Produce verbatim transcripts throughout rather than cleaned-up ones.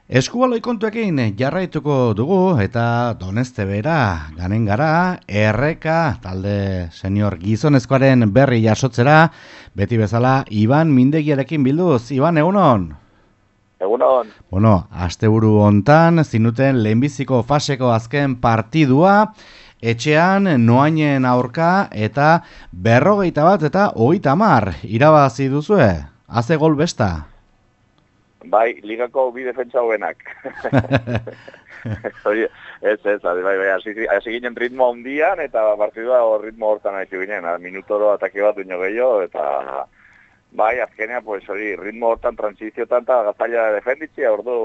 Eskubaloi kontuekin jarraituko dugu eta Doneste bera, ganen gara, erreka, talde senior gizonezkoaren berri jasotzera, beti bezala, Iban Mindegiarekin bilduz. Iban, egunon? Egunon. Bueno, asteburu hontan, zinuten lehenbiziko faseko azken partidua, etxean, noainen aurka, eta berrogeita bat eta hogeita hamar irabazi duzue. Haze gol besta. Bai, ligako bi defentsa hobenak. Hori, ez, ez, bai, bai, hasi, hasi ginen ritmo handian, eta partidua ritmo hortan hasi ginen, minutoro atake bat duño gehiago, eta bai, azkenea, pues, hori, ritmo hortan, transiziotan, eta gaztaila defenditzia, ordu,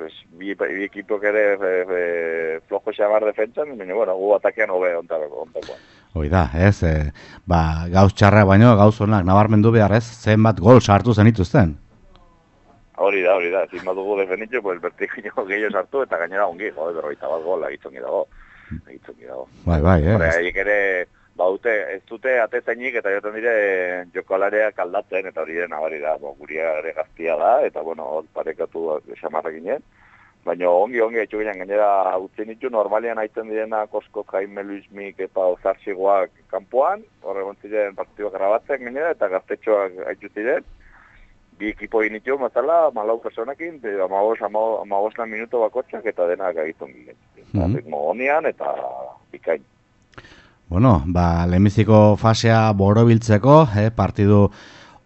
pues, bi, bi ekipok ere e, e, flojo xamar defentsan, baina, bueno, gu atakean hobe ontakoan. Hoi da, ez, e, ba, gauz txarra baino, gauz honak, nabarmendu behar ez, zenbat gol sartu zenituzten. Hori da, hori da, ezin badugu defenditxo, pues, bertikino gehiago sartu, eta gainera ongi, jode, berroita bat gol, egitzongi dago, egitzongi dago. Bai, bai, eh. Hore, haiek ere, baute, ez dute atezainik, eta joten dire jokalareak aldatzen, eta hori den, abari da, bo, guria ere gaztia da, eta, bueno, hor parekatu xamarra ginen. Baina ongi, ongi, etxu ginen, gainera, utzen ditu, normalian haiten direna, Kosko, Jaime, Luismik, eta Ozarxigoak kanpoan, horre gontziren partidua grabatzen gainera, eta gaztetxoak haitu ziren. Bi ekipo initu, mazala, malau personakin, amabos, amabos lan minuto bakotxak, eta denak agitzen ginen. Mm -hmm. Honian, eta bikain. Bueno, ba, lehenbiziko fasea borobiltzeko, eh, partidu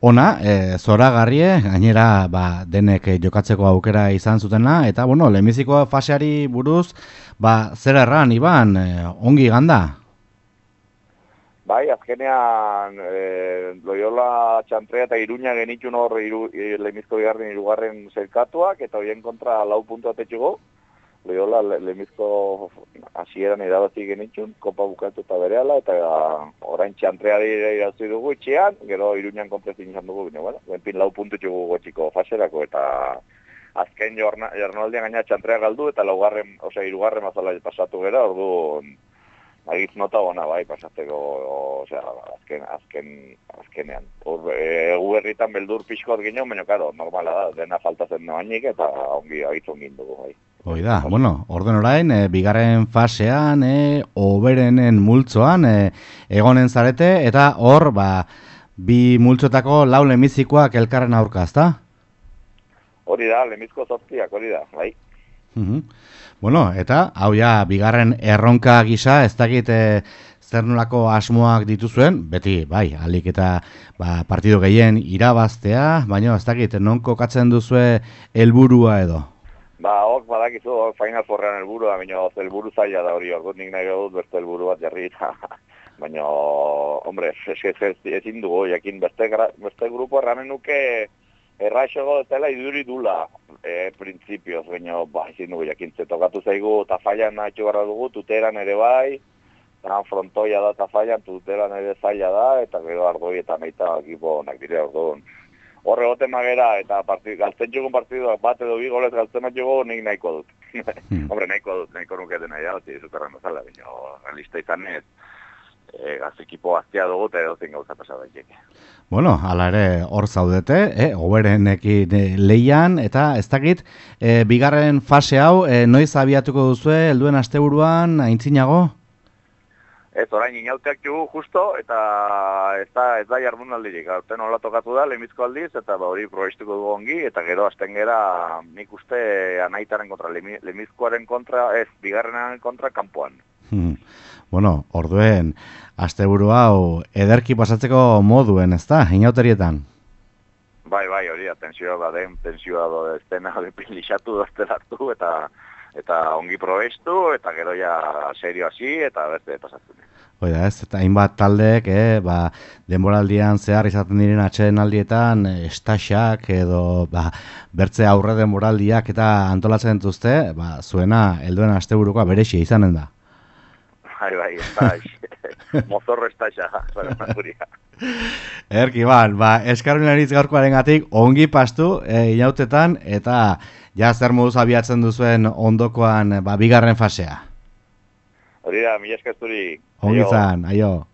ona, eh, zoragarrie, gainera, ba, denek jokatzeko aukera izan zutena, eta, bueno, lehenbiziko faseari buruz, ba, zer erran, Iban, eh, ongi ganda? Bai, azkenean e, Loyola Txantrea eta Iruña genitxun hor iru, e, lehenbizko bigarren irugarren zerkatuak, eta horien kontra lau puntu atetxugo. Loyola le, lehenbizko hasieran irabazi genitxun, kopa bukatu eta berehala, eta orain Txantrea dira irabazi dugu itxean, gero Iruñan konprezin izan dugu, bine, bueno, benpin lau puntu txugu gotxiko faserako, eta azken jornaldian gaina Txantrea galdu, eta laugarren, osea, irugarren mazala pasatu gera, ordu agitz nota ona, bai, pasateko, osea, azken, azken, azkenean. Egu herritan beldur pixkot ginen, baina, karo, normala da, dena faltazen noainik, eta ongi agitzon gindugu, bai. Hoi da, bueno, orden orain, e, bigarren fasean, e, oberenen multzoan, e, egonen zarete, eta hor, ba, bi multzotako lau lemizikoak elkarren aurka, ezta? Hori da, lemizko zortziak, hori da, bai. Uh-huh. Bueno, eta, hau ja, bigarren erronka gisa, ez dakit e, zer nolako asmoak dituzuen, beti, bai, alik eta ba, partido gehien irabaztea, baina ez dakit, non kokatzen duzue helburua edo? Ba, hok badakizu, hok Final Fourrean helburua, baina helburu zaila da hori, ordu nik nahi dut beste helburu bat jarri, baina, hombre, ezin dugu, jakin beste, beste grupo erranen nuke, erraixogo dela iduri dula, e, prinsipioz, baina, ba, ezin dugu jakintze, tokatu zaigu, tafaian nahitu barra dugu, tuteran ere bai, eta frontoia da tafaian, tuteran ere zaila da, eta gero ardoi eta meita ekipo onak dire orduan. Horre gote magera, eta partid, galtzen txugun partiduak bat edo bi golez galtzen bat jugu, nik nahiko dut. Hmm. Hombre, nahiko dut, nahiko nuke dena irabazi, zuterran dozala, baina, realista izan ez, e, gaz ekipo gaztia dugu, eta edo zen gauza pasada daiteke. Bueno, hala ere hor zaudete, eh, oberenekin eh, leian, eta ez dakit, eh, bigarren fase hau, eh, noiz abiatuko duzue, helduen asteburuan, aintzinago? Ez, orain inauteak jugu justo, eta ez da, ez da jardunaldirik. Gaurten hola tokatu da, lehenbizko aldiz, eta ba, hori probestuko dugu ongi, eta gero hasten gera, nik uste anaitaren kontra, lehenbizkoaren kontra, ez, bigarrenaren kontra, kanpoan. Hmm. Bueno, orduen, asteburu hau ederki pasatzeko moduen, ez da, inauterietan? Bai, bai, hori da, tensioa baden, tensioa do estena, lixatu dozte hartu, eta eta ongi probestu, eta gero ja serio hasi, eta beste pasatzen. Oida ez, eta hainbat taldeek, eh, ba, denboraldian zehar izaten diren atsedenaldietan, estaxak edo ba, bertze aurre denboraldiak eta antolatzen duzte, ba, zuena helduen asteburukoa berexia izanen da. Bai, bai, estax, mozorro estaxa, guria. Erki, ban, ba, eskarminariz gaurkoaren gatik, ongi pastu, e, inautetan, eta ja zer moduz abiatzen duzuen ondokoan, ba, bigarren fasea. Hori da, mila eskazturi. Ongi zan, aio.